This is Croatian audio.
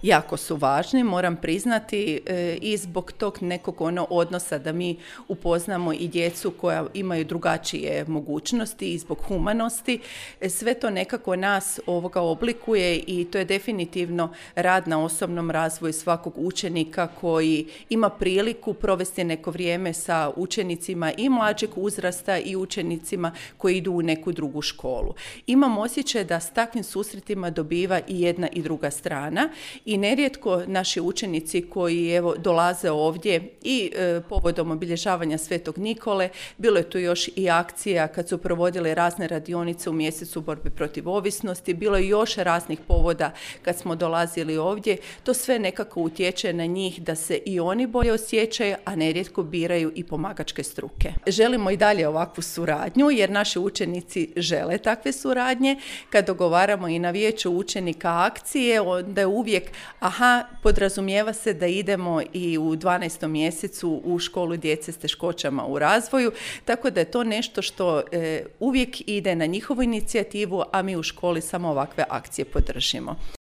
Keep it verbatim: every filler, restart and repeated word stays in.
jako su važni, moram priznati, e, i zbog tog nekog ono odnosa da mi upoznamo i djecu koja imaju drugačije mogućnosti i zbog humanosti. E, sve to nekako nas ovoga oblikuje i to je definitivno rad na osobnom razvoju svakog učenika koji ima priliku provesti neko vrijeme sa učenicima i mlađeg uzrasta i učenicima koji idu u neku drugu školu. Imam osjećaj da s takvim susretima dobiva i jedna i druga strana i nerijetko naši učenici koji evo dolaze ovdje i e, povodom obilježavanja Svetog Nikole, bilo je tu još i akcija kad su provodile razne radionice u mjesecu borbe protiv ovisnosti, bilo je još raznih povoda kad smo dolazili ovdje, to sve nekako utječe na njih da se i oni bolje osjećaju, a nerijetko biraju i pomagačke struke. Želimo i dalje ovakvu suradnju jer naši učenici žele takve suradnje. Kad dogovaramo i na vijeću učenika akcije, onda je uvijek, aha, podrazumijeva se da idemo i u dvanaestom mjesecu u školu djece s teškoćama u razvoju, tako da je to nešto što e, uvijek ide na njihovu inicijativu, a mi u školi samo ovakve akcije podržimo.